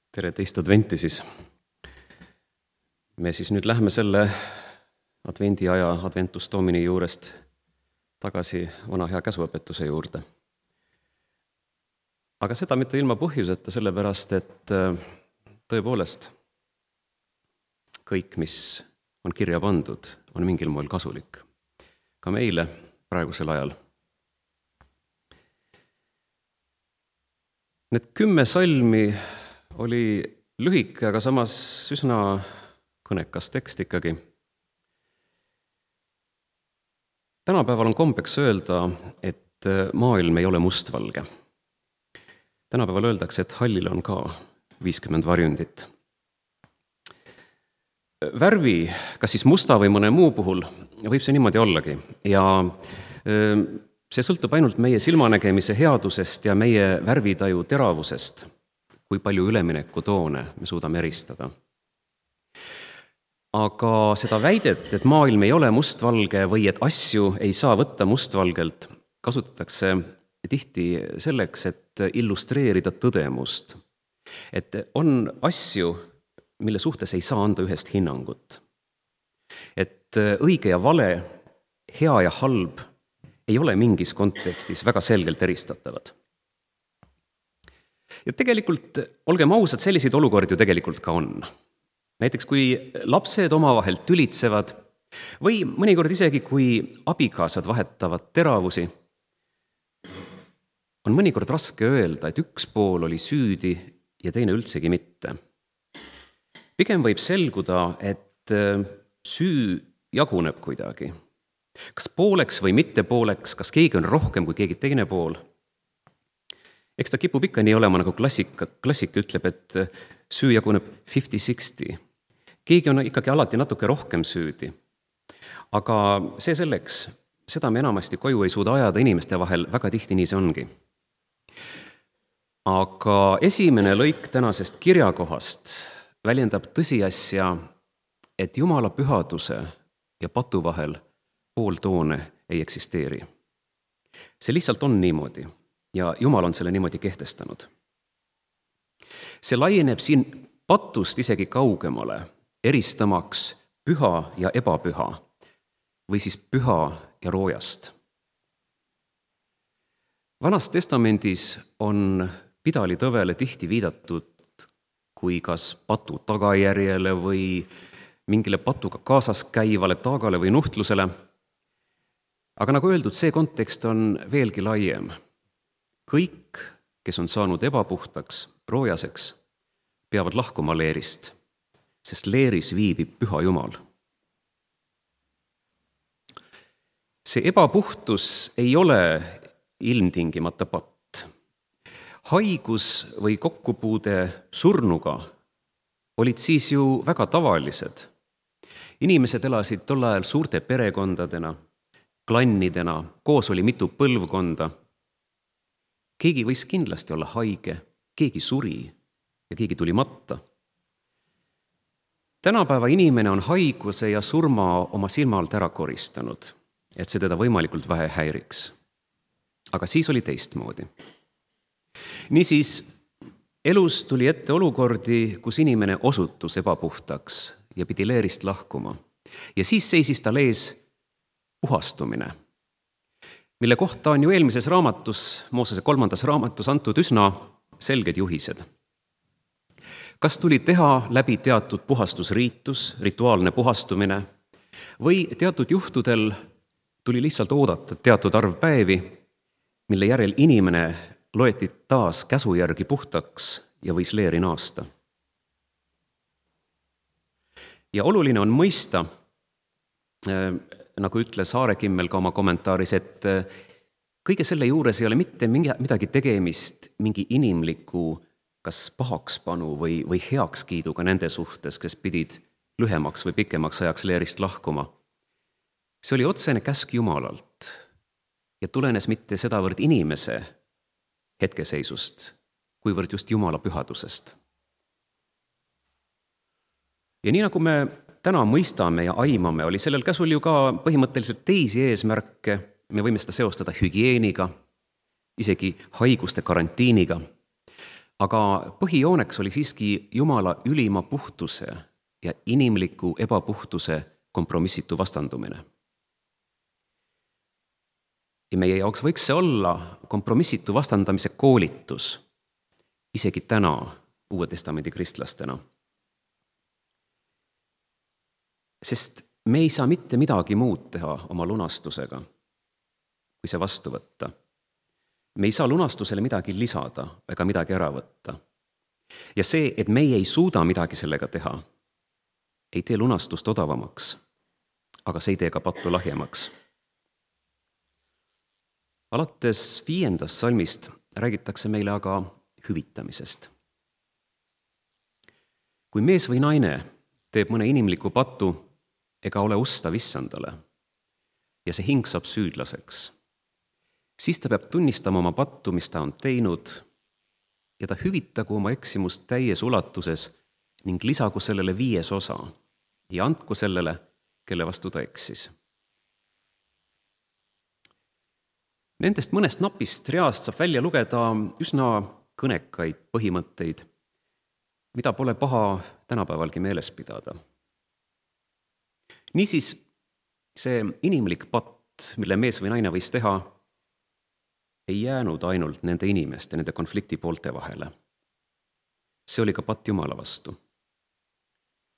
Tere teist adventi siis. Me siis nüüd lähme selle advendiaja Adventus Domini juurest tagasi vana hea käsuõpetuse juurde. Aga seda mitte ilma põhjuseta, sellepärast, et tõepoolest kõik, mis on kirja pandud, on mingil moel kasulik. Ka meile praegusel ajal. Need 10 salmi oli lühike, aga samas üsna kõnekas tekst ikkagi. Tänapäeval on kombeks öelda, et maailm ei ole mustvalge. Tänapäeval öeldakse, et hallil on ka 50 varjundit. Värvi, kas siis musta või mõne muu puhul, võib see niimoodi ollagi. Ja see sõltub ainult meie silmanägemise headusest ja meie värvitaju teravusest, kui palju üleminekutoone me suudame eristada. Aga seda väidet, et maailm ei ole mustvalge või et asju ei saa võtta mustvalgelt, kasutatakse tihti selleks, et illustreerida tõdemust. Et on asju, mille suhtes ei saa anda ühest hinnangut. Et õige ja vale, hea ja halb ei ole mingis kontekstis väga selgelt eristatavad. Ja tegelikult, olgem ausad, selliseid olukordi ju tegelikult ka on. Näiteks kui lapsed omavahel tülitsevad või mõnikord isegi kui abikaasad vahetavad teravusi, on mõnikord raske öelda, et üks pool oli süüdi ja teine üldsegi mitte. Pigem võib selguda, et süü jaguneb kuidagi. Kas pooleks või mitte pooleks, kas keegi on rohkem kui keegi teine pool? Eks ta kipub ikka nii olema, nagu klassik ütleb, et süü jaguneb 50-60. Keegi on ikkagi alati natuke rohkem süüdi. Aga see selleks, seda me enamasti koju ei suuda ajada inimeste vahel, väga tihti nii see ongi. Aga esimene lõik tänasest kirjakohast väljendab tõsiasja, et Jumala pühaduse ja patu vahel pooltoone ei eksisteeri. See lihtsalt on niimoodi ja Jumal on selle niimoodi kehtestanud. See laieneb siin patust isegi kaugemale, eristamaks püha ja ebapüha või siis püha ja roojast. Vanas testamendis on pidalitõvele tihti viidatud kui kas patu tagajärjele või mingile patuga kaasas käivale taagale või nuhtlusele. Aga nagu öeldud, see kontekst on veelgi laiem. Kõik, kes on saanud ebapuhtaks, roojaseks, peavad lahkuma leerist, sest leeris viibib püha Jumal. See ebapuhtus ei ole ilmtingimata patt. Haigus või kokkupuude surnuga olid siis ju väga tavalised. Inimesed elasid tol ajal suurte perekondadena, klannidena, koos oli mitu põlvkonda. Keegi võis kindlasti olla haige, keegi suri ja keegi tuli matta. Tänapäeva inimene on haiguse ja surma oma silma alt ära koristanud, et see teda võimalikult vähe häiriks. Aga siis oli teistmoodi. Niisiis, elus tuli ette olukordi, kus inimene osutus ebapuhtaks ja pidi leerist lahkuma. Ja siis seisis tal ees puhastumine, mille kohta on ju eelmises raamatus, Moosese 3. raamatus antud üsna selged juhised. Kas tuli teha läbi teatud puhastusriitus, rituaalne puhastumine, või teatud juhtudel tuli lihtsalt oodata teatud arv päevi, mille järel inimene loeti taas käsu järgi puhtaks ja võis leeri naasta. Ja oluline on mõista, nagu ütles Aarekimmel ka oma kommentaaris, et kõige selle juures ei ole mitte midagi tegemist mingi inimliku kas pahakspanu või heakskiiduga nende suhtes, kes pidid lühemaks või pikemaks ajaks leerist lahkuma. See oli otsene käsk Jumalalt ja tulenes mitte sedavõrd inimese hetkeseisust, kuivõrd just Jumala pühadusest. Ja nii nagu me täna mõistame ja aimame, oli sellel käsul ju ka põhimõtteliselt teisi eesmärke, me võime seda seostada hügieeniga, isegi haiguste karantiiniga. Aga põhijooneks oli siiski Jumala ülima puhtuse ja inimliku ebapuhtuse kompromissitu vastandumine. Ja meie jaoks võiks see olla kompromissitu vastandamise koolitus, isegi täna Uue Testamendi kristlastena. Sest me ei saa mitte midagi muud teha oma lunastusega, kui see vastu võtta. Me ei saa lunastusele midagi lisada ega midagi ära võtta. Ja see, et meie ei suuda midagi sellega teha, ei tee lunastust odavamaks, aga see ei tee ka pattu lahjemaks. Alates 5. salmist räägitakse meile aga hüvitamisest. Kui mees või naine teeb mõne inimliku patu ega ole ustav issandale ja see hing saab süüdlaseks, siis ta peab tunnistama oma pattu, mis ta on teinud, ja ta hüvitagu oma eksimust täies ulatuses ning lisagu sellele 5. osa ja andku sellele, kelle vastu ta eksis. Nendest mõnest napist reast saab välja lugeda üsna kõnekaid põhimõtteid, mida pole paha tänapäevalgi meeles pidada. Niisiis, see inimlik patt, mille mees või naine võis teha, ei jäänud ainult nende inimeste, nende konflikti poolte vahele. See oli ka patt Jumala vastu.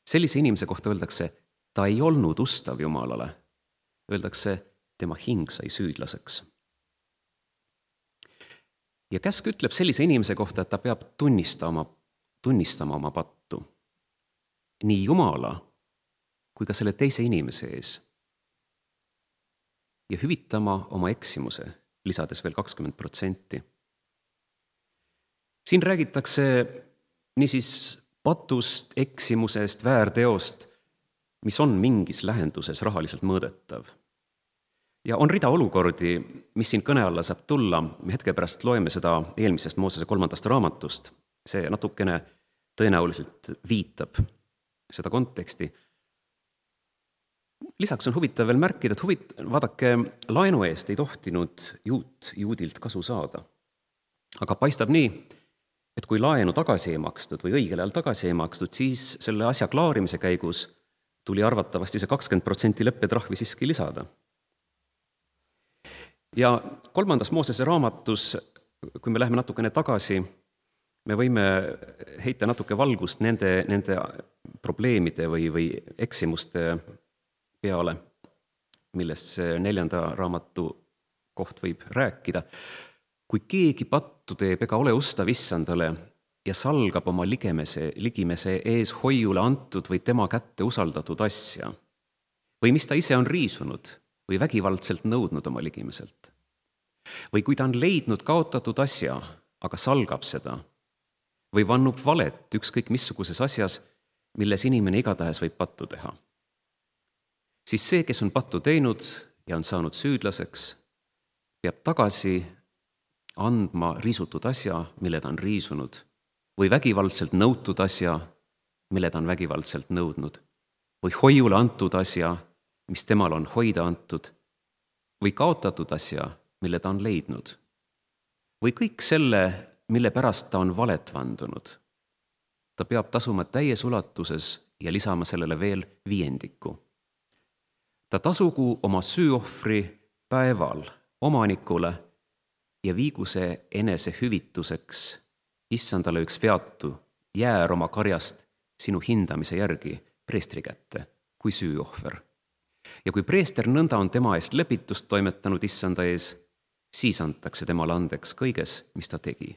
Sellise inimese kohta öeldakse, ta ei olnud ustav Jumalale. Öeldakse, tema hing sai süüdlaseks. Ja käsk ütleb sellise inimese kohta, et ta peab tunnistama oma pattu. Nii Jumala kui ka selle teise inimese ees. Ja hüvitama oma eksimuse, lisades veel 20%. Siin räägitakse niisiis patust, eksimusest, väärteost, mis on mingis lähenduses rahaliselt mõõdetav. Ja on rida olukordi, mis siin kõne alla saab tulla. Me hetke pärast loeme seda eelmisest Moosese 3. raamatust. See natukene tõenäoliselt viitab seda konteksti. Lisaks on huvitav veel märkida, et vaadake, laenu eest ei tohtinud juudilt kasu saada. Aga paistab nii, et kui laenu tagasi ei makstud või õigel ajal tagasi ei makstud, siis selle asja klaarimise käigus tuli arvatavasti see 20% leppetrahvi siiski lisada. Ja 3. Moosese raamatus, kui me läheme natukene tagasi, me võime heita natuke valgust nende probleemide või eksimuste peale, millest see 4. raamatu koht võib rääkida. Kui keegi pattu teeb ega ole ustav issandale ja salgab oma ligimese ees hoiule antud või tema kätte usaldatud asja, või mis ta ise on riisunud või vägivaldselt nõudnud oma ligimeselt, või kui ta on leidnud kaotatud asja, aga salgab seda, või vannub valet ükskõik missuguses asjas, milles inimene igatahes võib pattu teha, siis see, kes on pattu teinud ja on saanud süüdlaseks, peab tagasi andma riisutud asja, mille ta on riisunud, või vägivaldselt nõutud asja, mille ta on vägivaldselt nõudnud, või hoiule antud asja, mis temal on hoida antud, või kaotatud asja, mille ta on leidnud, või kõik selle, mille pärast ta on valet vandunud. Ta peab tasuma täies ulatuses ja lisama sellele veel 5. Ta tasugu oma süüohvri päeval omanikule ja viigu see enese hüvituseks issandale üks veatu jäär oma karjast sinu hindamise järgi preestri kätte kui süüohver. Ja kui preester nõnda on tema eest lepitust toimetanud issanda ees, siis antakse temale andeks kõiges, mis ta tegi,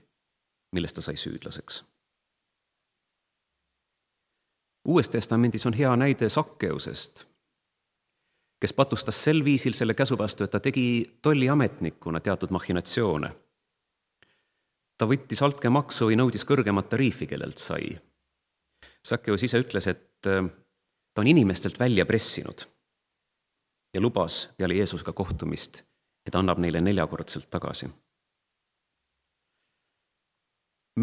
millest ta sai süüdlaseks. Uues testamendis on hea näide Sakkeusest, kes patustas sel viisil selle käsu vastu, et ta tegi tolliametnikuna teatud machinatsioone. Ta võttis altkäemaksu või nõudis kõrgemat tariifi, kellelt sai. Sakkeus ise ütles, et ta on inimestelt välja pressinud ja lubas peale Jeesusega kohtumist, et annab neile 4-kordselt tagasi.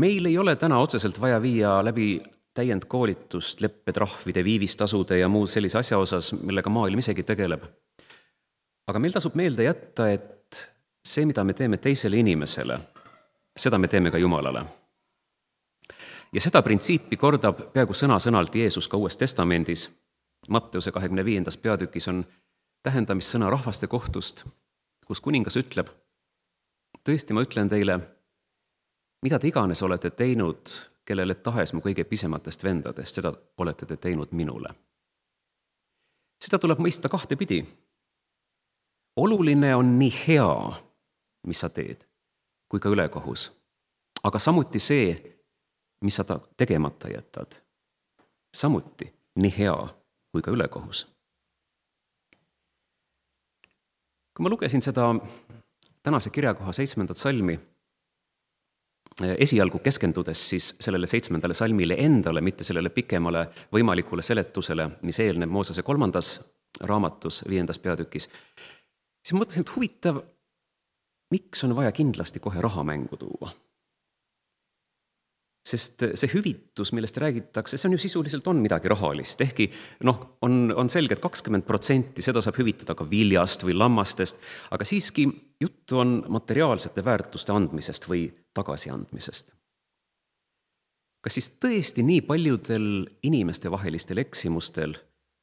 Meil ei ole täna otseselt vaja viia läbi täiendkoolitust leppetrahvide, viivistasude ja muu sellise asja osas, millega maailm isegi tegeleb. Aga meil tasub meelde jätta, et see, mida me teeme teisele inimesele, seda me teeme ka Jumalale. Ja seda printsiipi kordab peaaegu sõna-sõnalt Jeesus ka Uues Testamendis. Matteuse 25. peatükis on tähendamissõna rahvaste kohtust, kus kuningas ütleb: tõesti, ma ütlen teile, mida te iganes olete teinud, kellele tahes mu kõige pisematest vendadest, seda olete te teinud minule. Seda tuleb mõista kahtepidi. Oluline on nii hea, mis sa teed, kui ka ülekohus, aga samuti see, mis sa tegemata jätad. Samuti nii hea kui ka ülekohus. Kui ma lugesin seda tänase kirjakoha 7. salmi, esialgu keskendudes siis sellele 7. salmile endale, mitte sellele pikemale võimalikule seletusele, mis eelneb Moosese 3. raamatus 5. peatükis, siis mõtlesin, et huvitav, miks on vaja kindlasti kohe raha mängu tuua. Sest see hüvitus, millest räägitakse, see on ju sisuliselt on midagi rahalist, ehkki on selge, et 20% seda saab hüvitada ka viljast või lammastest, aga siiski juttu on materiaalsete väärtuste andmisest või tagasiandmisest. Kas siis tõesti nii paljudel inimeste vahelistel eksimustel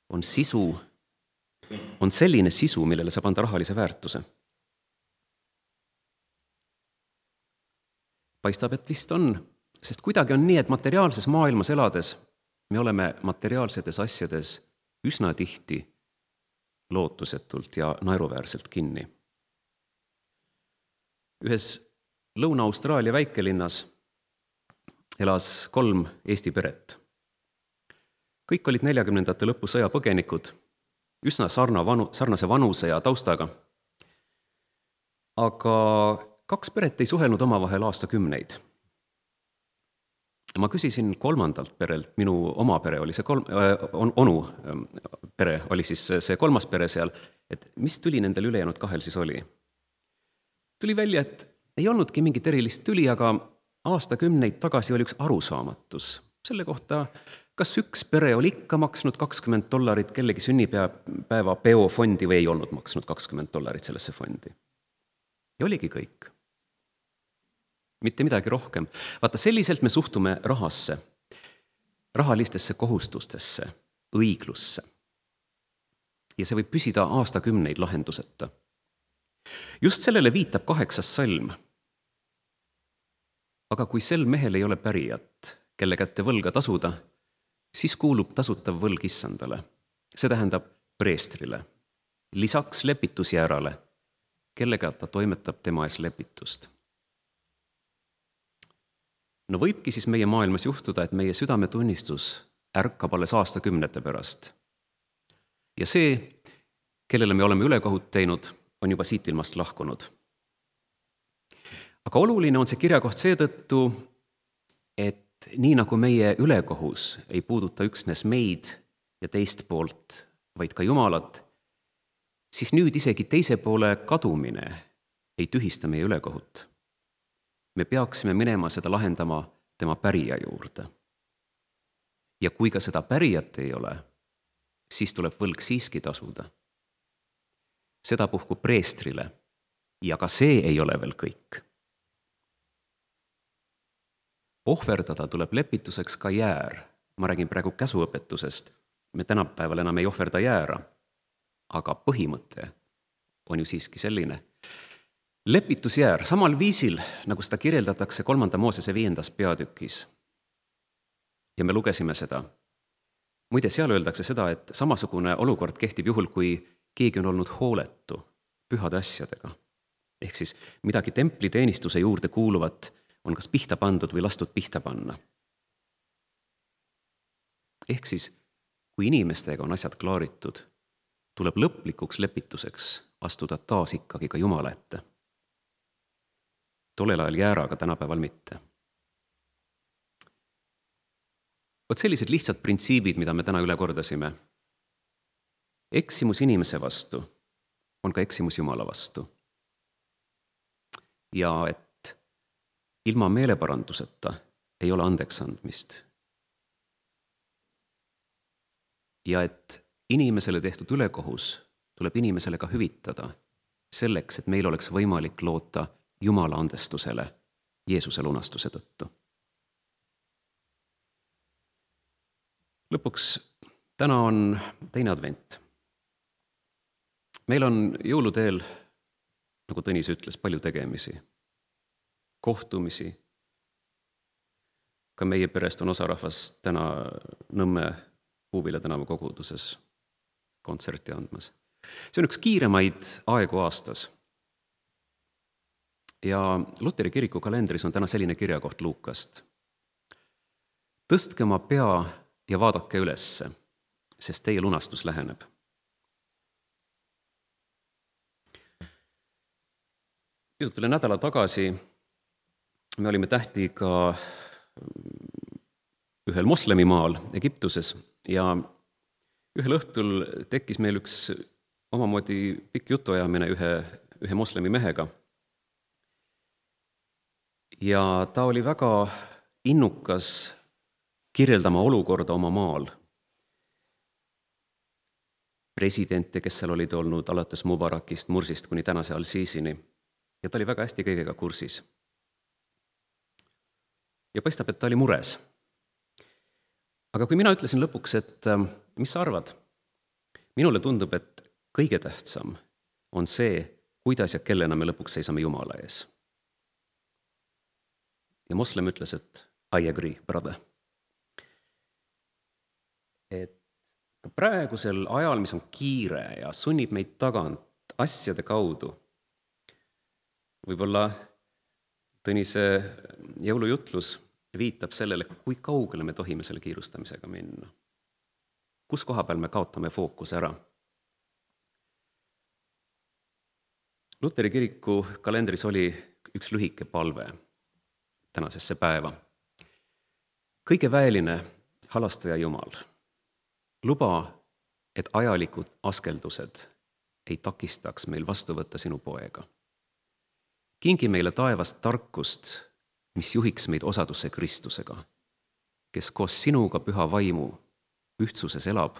on selline sisu, millele saab anda rahalise väärtuse? Paistab, et vist on. Sest kuidagi on nii, et materiaalses maailmas elades me oleme materiaalsetes asjades üsna tihti lootusetult ja naeruväärselt kinni. Ühes Lõuna-Austraalia väikelinnas elas 3 Eesti peret. Kõik olid 40. lõpu sõjapõgenikud, üsna sarnase vanuse ja taustaga. Aga 2 peret ei suhelnud omavahel aastakümneid. Ma küsisin 3. perelt, minu oma pere oli see onu pere, oli siis see 3. pere seal, et mis tüli nendel ülejäänud 2 siis oli. Tuli välja, et ei olnudki mingit erilist tüli, aga aastakümneid tagasi oli üks arusaamatus. Selle kohta, kas üks pere oli ikka maksnud $20 kellegi sünnipäeva peofondi või ei olnud maksnud $20 sellesse fondi. Ja oligi kõik. Mitte midagi rohkem. Vaata, selliselt me suhtume rahasse, rahalistesse kohustustesse, õiglusse. Ja see võib püsida aastakümneid lahenduseta. Just sellele viitab 8. salm. Aga kui sel mehel ei ole pärijat, kelle kätte võlga tasuda, siis kuulub tasutav võlg issandale. See tähendab preestrile. Lisaks lepitusjäärale, kellega ta toimetab tema ees lepitust. No võibki siis meie maailmas juhtuda, et meie südametunnistus ärkab alles aastakümnete pärast. Ja see, kellele me oleme ülekohut teinud, on juba siit ilmast lahkunud. Aga oluline on see kirjakoht seetõttu, et nii nagu meie ülekohus ei puuduta üksnes meid ja teist poolt, vaid ka Jumalat, siis nüüd isegi teise poole kadumine ei tühista meie ülekohut. Me peaksime minema seda lahendama tema pärija juurde. Ja kui ka seda pärijat ei ole, siis tuleb võlg siiski tasuda. Seda puhku preestrile ja ka see ei ole veel kõik. Ohverdada tuleb lepituseks ka jäär. Ma räägin praegu käsuõpetusest. Me tänapäeval enam ei ohverda jäära, aga põhimõte on ju siiski selline. Lepitusjäär samal viisil, nagu seda kirjeldatakse 3. Moosese 5. peatükis. Ja me lugesime seda. Muide, seal öeldakse seda, et samasugune olukord kehtib juhul, kui keegi on olnud hooletu pühade asjadega. Ehk siis midagi templiteenistuse juurde kuuluvat on kas pihta pandud või lastud pihta panna. Ehk siis, kui inimestega on asjad klaaritud, tuleb lõplikuks lepituseks astuda taas ikkagi ka Jumala ette. Tollel ajal jääraga, tänapäeval mitte. Vot sellised lihtsad printsiibid, mida me täna üle kordasime. Eksimus inimese vastu on ka eksimus Jumala vastu. Ja et ilma meeleparanduseta ei ole andeks andmist. Ja et inimesele tehtud ülekohus tuleb inimesele ka hüvitada selleks, et meil oleks võimalik loota Jumala andestusele Jeesuse lunastuse tõttu. Lõpuks, täna on teine advent. Meil on jõuluteel, nagu Tõnis ütles, palju tegemisi, kohtumisi. Ka meie perest on osa rahvast täna Nõmme Puuvilla tänava koguduses kontserti andmas. See on üks kiiremaid aegu aastas. Ja Luteri kiriku kalendris on täna selline kirjakoht Luukast. Tõstke oma pea ja vaadake ülesse, sest teie lunastus läheneb. Pisut üle nädala tagasi me olime tähtiga ühel moslemimaal Egiptuses ja ühel õhtul tekkis meil üks omamoodi pikk jutuajamine ühe moslemi mehega. Ja ta oli väga innukas kirjeldama olukorda oma maal. Presidente, kes seal olid olnud alates Mubarakist, Mursist kuni tänase Al-Sisini. Ja ta oli väga hästi kõigega kursis. Ja paistab, et ta oli mures. Aga kui mina ütlesin lõpuks, et mis sa arvad? Minule tundub, et kõige tähtsam on see, kuidas ja kellena me lõpuks seisame Jumala ees. Ja moslem ütles, et I agree, brother. Et ka praegusel ajal, mis on kiire ja sunnib meid tagant asjade kaudu, võib-olla Tõnise jõulujutlus viitab sellele, kui kaugele me tohime selle kiirustamisega minna. Kus koha peal me kaotame fookuse ära? Luteri kiriku kalendris oli üks lühike palve tänasesse päeva. Kõige väeline halastaja Jumal, luba, et ajalikud askeldused ei takistaks meil vastu võtta sinu poega. Kingi meile taevast tarkust, mis juhiks meid osadusse Kristusega, kes koos sinuga püha vaimu ühtsuses elab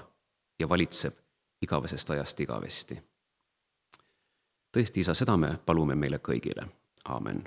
ja valitseb igavesest ajast igavesti. Tõesti, Isa, seda me palume meile kõigile. Aamen.